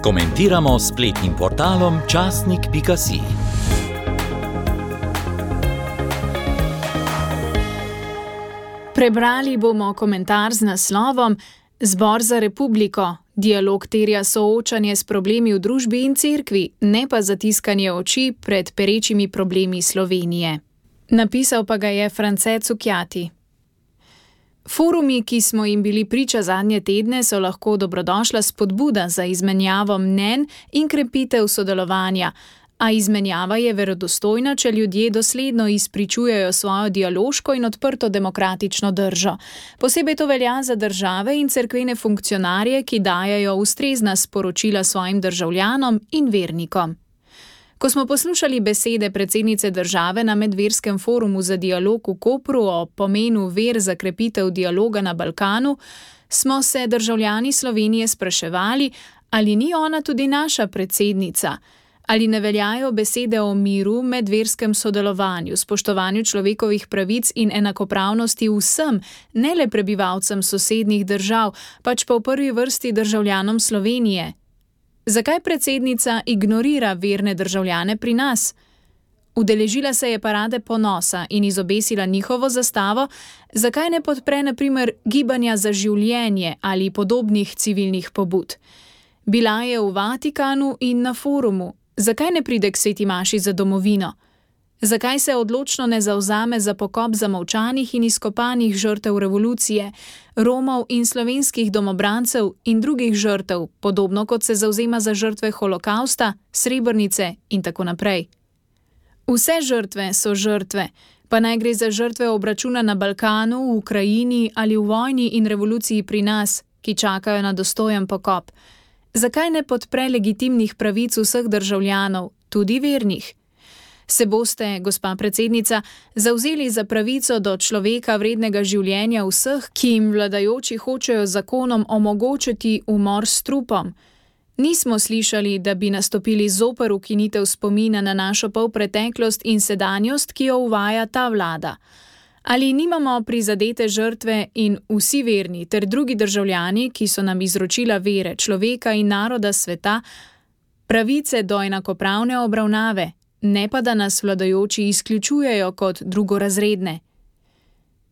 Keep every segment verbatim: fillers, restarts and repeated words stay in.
Komentiramo s spletnim portalom časnik pika si. Prebrali bomo komentar z naslovom Zbor za republiko. Dialog terja soočanje s problemi v družbi in cerkvi, ne pa zatiskanje oči pred perečimi problemi Slovenije. Napisal pa ga je France Cukjati. Forumi, ki smo jim bili priča zadnje tedne, so lahko dobrodošla spodbuda za izmenjavo mnenj in krepitev sodelovanja, a izmenjava je verodostojna, če ljudje dosledno izpričujejo svojo dialoško in odprto demokratično držo. Posebej to velja za države in cerkvene funkcionarje, ki dajejo ustrezna sporočila svojim državljanom in vernikom. Ko smo poslušali besede predsednice države na medverskem forumu za dialog v Kopru o pomenu ver za krepitev dialoga na Balkanu, smo se državljani Slovenije spraševali, ali ni ona tudi naša predsednica, ali ne veljajo besede o miru, medverskem sodelovanju, spoštovanju človekovih pravic in enakopravnosti vsem, ne le prebivalcem sosednjih držav, pač pa v prvi vrsti državljanom Slovenije. Zakaj predsednica ignorira verne državljane pri nas? Udeležila se je parade ponosa in izobesila njihovo zastavo, zakaj ne podpre na primer gibanja za življenje ali podobnih civilnih pobud? Bila je v Vatikanu in na forumu, zakaj ne pride k sveti maši za domovino? Zakaj se odločno ne zavzame za pokop zamolčanih in izkopanih žrtev revolucije, Romov in slovenskih domobrancev in drugih žrtev, podobno kot se zavzema za žrtve holokausta, Srebrnice in tako naprej? Vse žrtve so žrtve, pa naj gre za žrtve obračuna na Balkanu, v Ukrajini ali v vojni in revoluciji pri nas, ki čakajo na dostojen pokop. Zakaj ne podpre legitimnih pravic vseh državljanov, tudi vernih? Se boste, gospa predsednica, zavzeli za pravico do človeka vrednega življenja vseh, ki jim vladajoči hočejo zakonom omogočiti umor s trupom? Nismo slišali, da bi nastopili zoper ukinitev spomina na našo polpreteklost in sedanjost, ki jo uvaja ta vlada. Ali nimamo prizadete žrtve in vsi verni ter drugi državljani, ki so nam izročila vere, človeka in naroda sveta, pravice do enakopravne obravnave, ne pa da nas vladajoči izključujejo kot drugorazredne?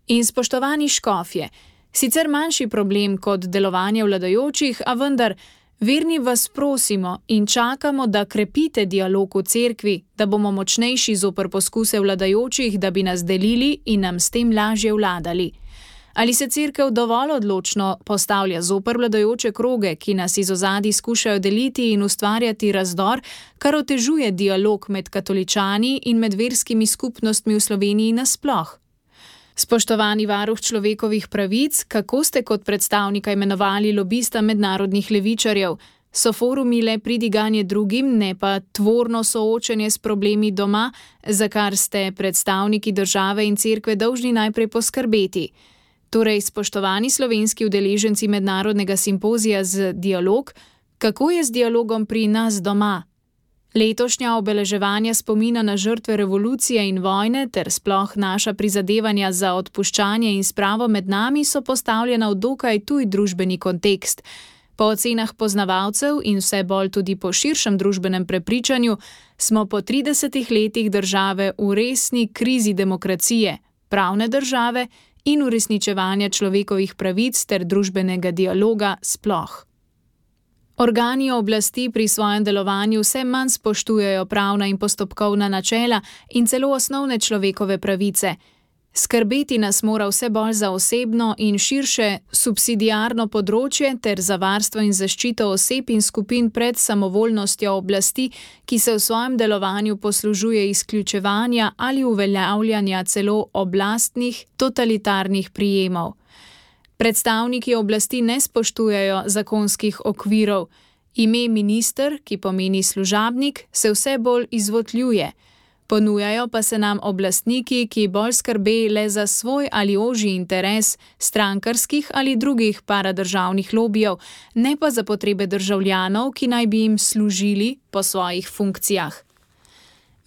In spoštovani škofje, sicer manjši problem kot delovanje vladajočih, a vendar, verni vas prosimo in čakamo, da krepite dialog v cerkvi, da bomo močnejši zoper poskuse vladajočih, da bi nas delili in nam s tem lažje vladali. Ali se cerkev dovolj odločno postavlja zoper vladajoče kroge, ki nas iz ozadij skušajo deliti in ustvarjati razdor, kar otežuje dialog med katoličani in med verskimi skupnostmi v Sloveniji nasploh? Spoštovani varuh človekovih pravic, kako ste kot predstavnika imenovali lobista mednarodnih levičarjev? So forumi le pridiganje drugim, ne pa tvorno soočenje s problemi doma, za kar ste predstavniki države in cerkve dolžni najprej poskrbeti? Torej, spoštovani slovenski udeleženci mednarodnega simpozija z dialog, kako je z dialogom pri nas doma? Letošnja obeleževanja spomina na žrtve revolucije in vojne ter sploh naša prizadevanja za odpuščanje in spravo med nami so postavljena v dokaj tuj družbeni kontekst. Po ocenah poznavalcev in vse bolj tudi po širšem družbenem prepričanju smo po tridesetih letih države v resni krizi demokracije, pravne države in uresničevanja človekovih pravic ter družbenega dialoga sploh. Organi oblasti pri svojem delovanju vse manj spoštujejo pravna in postopkovna načela in celo osnovne človekove pravice. Skrbeti nas mora vse bolj za osebno in širše subsidiarno področje ter za varstvo in zaščito oseb in skupin pred samovoljnostjo oblasti, ki se v svojem delovanju poslužuje izključevanja ali uveljavljanja celo oblastnih, totalitarnih prijemov. Predstavniki oblasti ne spoštujejo zakonskih okvirov. Ime minister, ki pomeni služabnik, se vse bolj izvotljuje. Ponujajo pa se nam oblastniki, ki bolj skrbe le za svoj ali ožji interes strankarskih ali drugih paradržavnih lobijev, ne pa za potrebe državljanov, ki naj bi jim služili po svojih funkcijah.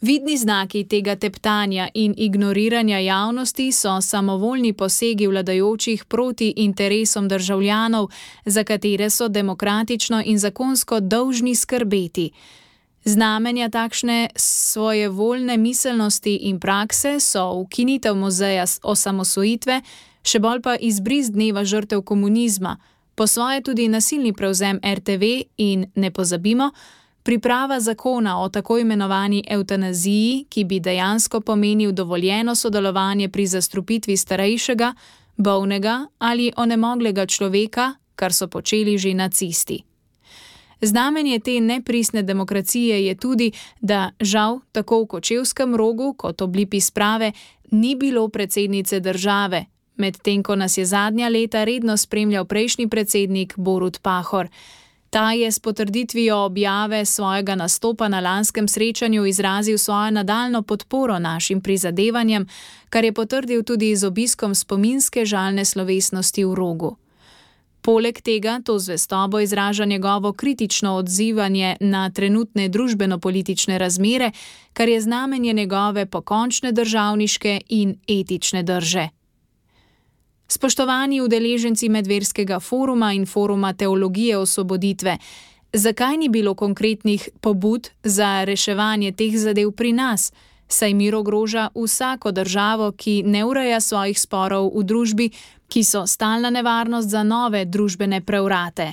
Vidni znaki tega teptanja in ignoriranja javnosti so samovoljni posegi vladajočih proti interesom državljanov, za katere so demokratično in zakonsko dolžni skrbeti. Znamenja takšne svojevoljne miselnosti in prakse so ukinitev muzeja osamosvojitve, še bolj pa izbris dneva žrtev komunizma, po svoje tudi nasilni prevzem er te ve in, ne pozabimo, priprava zakona o tako imenovani evtanaziji, ki bi dejansko pomenil dovoljeno sodelovanje pri zastrupitvi starejšega, bolnega ali onemoglega človeka, kar so počeli že nacisti. Znamenje te nepristne demokracije je tudi, da žal tako v Kočevskem Rogu kot ob Lipi sprave ni bilo predsednice države, medtem ko nas je zadnja leta redno spremljal prejšnji predsednik Borut Pahor. Ta je s potrditvijo objave svojega nastopa na lanskem srečanju izrazil svojo nadaljno podporo našim prizadevanjem, kar je potrdil tudi z obiskom spominske žalne slovesnosti v Rogu. Poleg tega to zvestobo izraža njegovo kritično odzivanje na trenutne družbeno-politične razmere, kar je znamenje njegove pokončne državniške in etične drže. Spoštovani udeleženci Medverskega foruma in Foruma teologije osvoboditve, zakaj ni bilo konkretnih pobud za reševanje teh zadev pri nas, saj mir ogroža vsako državo, ki ne ureja svojih sporov v družbi, ki so stalna nevarnost za nove družbene prevrate.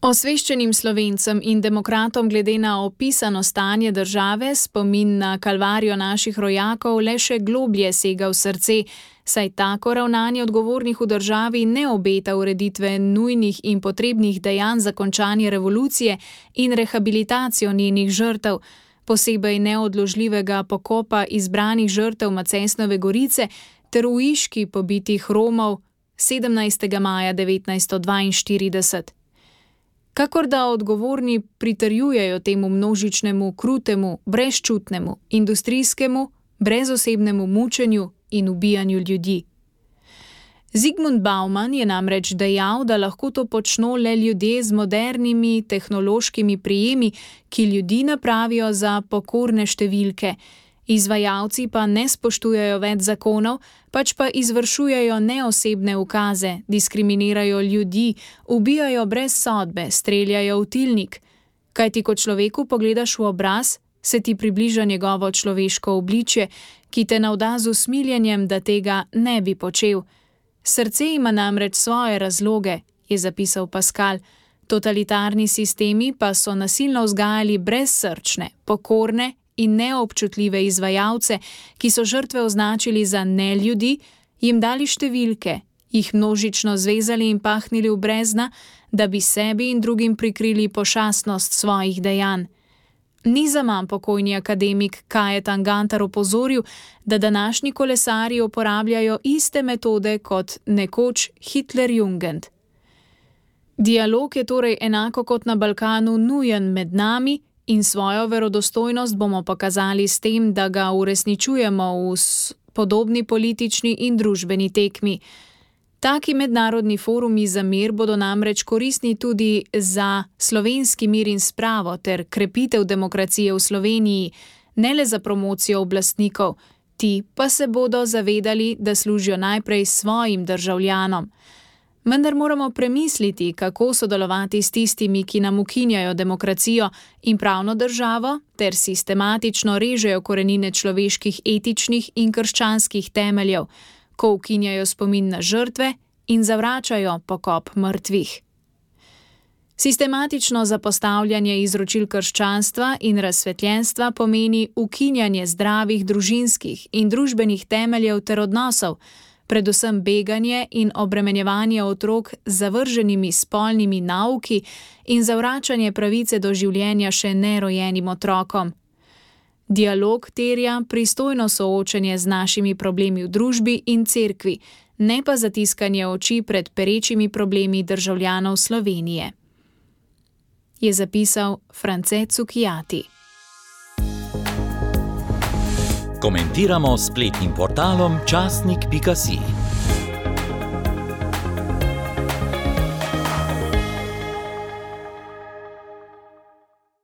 Osveščenim Slovencem in demokratom glede na opisano stanje države spomin na kalvarijo naših rojakov le še globlje sega v srce, saj tako ravnanje odgovornih v državi ne obeta ureditve nujnih in potrebnih dejanj za končanje revolucije in rehabilitacijo njenih žrtev, posebej neodložljivega pokopa izbranih žrtev Macesnove Gorice ter v Iški pobitih Romov sedemnajstega maja devetnajststo dvainštirideset. Kakor da odgovorni pritrjujejo temu množičnemu, krutemu, brezčutnemu, industrijskemu, brezosebnemu mučenju in ubijanju ljudi. Zygmunt Bauman je namreč dejal, da lahko to počno le ljudje z modernimi tehnološkimi prijemi, ki ljudi napravijo za pokorne številke. Izvajalci pa ne spoštujejo več zakonov, pač pa izvršujejo neosebne ukaze, diskriminirajo ljudi, ubijajo brez sodbe, streljajo v tilnik. Kaj ti kot človeku pogledaš v obraz, se ti približa njegovo človeško obličje, ki te navda z usmiljenjem, da tega ne bi počel. Srce ima namreč svoje razloge, je zapisal Pascal. Totalitarni sistemi pa so nasilno vzgajali brezsrčne, pokorne in neobčutljive izvajalce, ki so žrtve označili za neljudi, jim dali številke, jih množično zvezali in pahnili v brezna, da bi sebi in drugim prikrili pošastnost svojih dejanj. Ni zaman pokojni akademik Kajetan Gantar opozoril, da današnji kolesarji uporabljajo iste metode kot nekoč Hitlerjugend. Dialog je torej enako kot na Balkanu nujen med nami in svojo verodostojnost bomo pokazali s tem, da ga uresničujemo v podobni politični in družbeni tekmi. Taki mednarodni forumi za mir bodo namreč koristni tudi za slovenski mir in spravo ter krepitev demokracije v Sloveniji, ne le za promocijo oblastnikov, ti pa se bodo zavedali, da služijo najprej svojim državljanom. Vendar moramo premisliti, kako sodelovati s tistimi, ki nam ukinjajo demokracijo in pravno državo ter sistematično režejo korenine človeških etičnih in krščanskih temeljev, ko ukinjajo spomin na žrtve in zavračajo pokop mrtvih. Sistematično zapostavljanje izročil krščanstva in razsvetljenstva pomeni ukinjanje zdravih družinskih in družbenih temeljev ter odnosov, predvsem beganje in obremenjevanje otrok z zavrženimi spolnimi nauki in zavračanje pravice do življenja še nerojenim otrokom. Dialog terja pristojno soočenje z našimi problemi v družbi in cerkvi, ne pa zatiskanje oči pred perečimi problemi državljanov Slovenije, je zapisal France Cukjati. Komentiramo s spletnim portalom časnik pika si.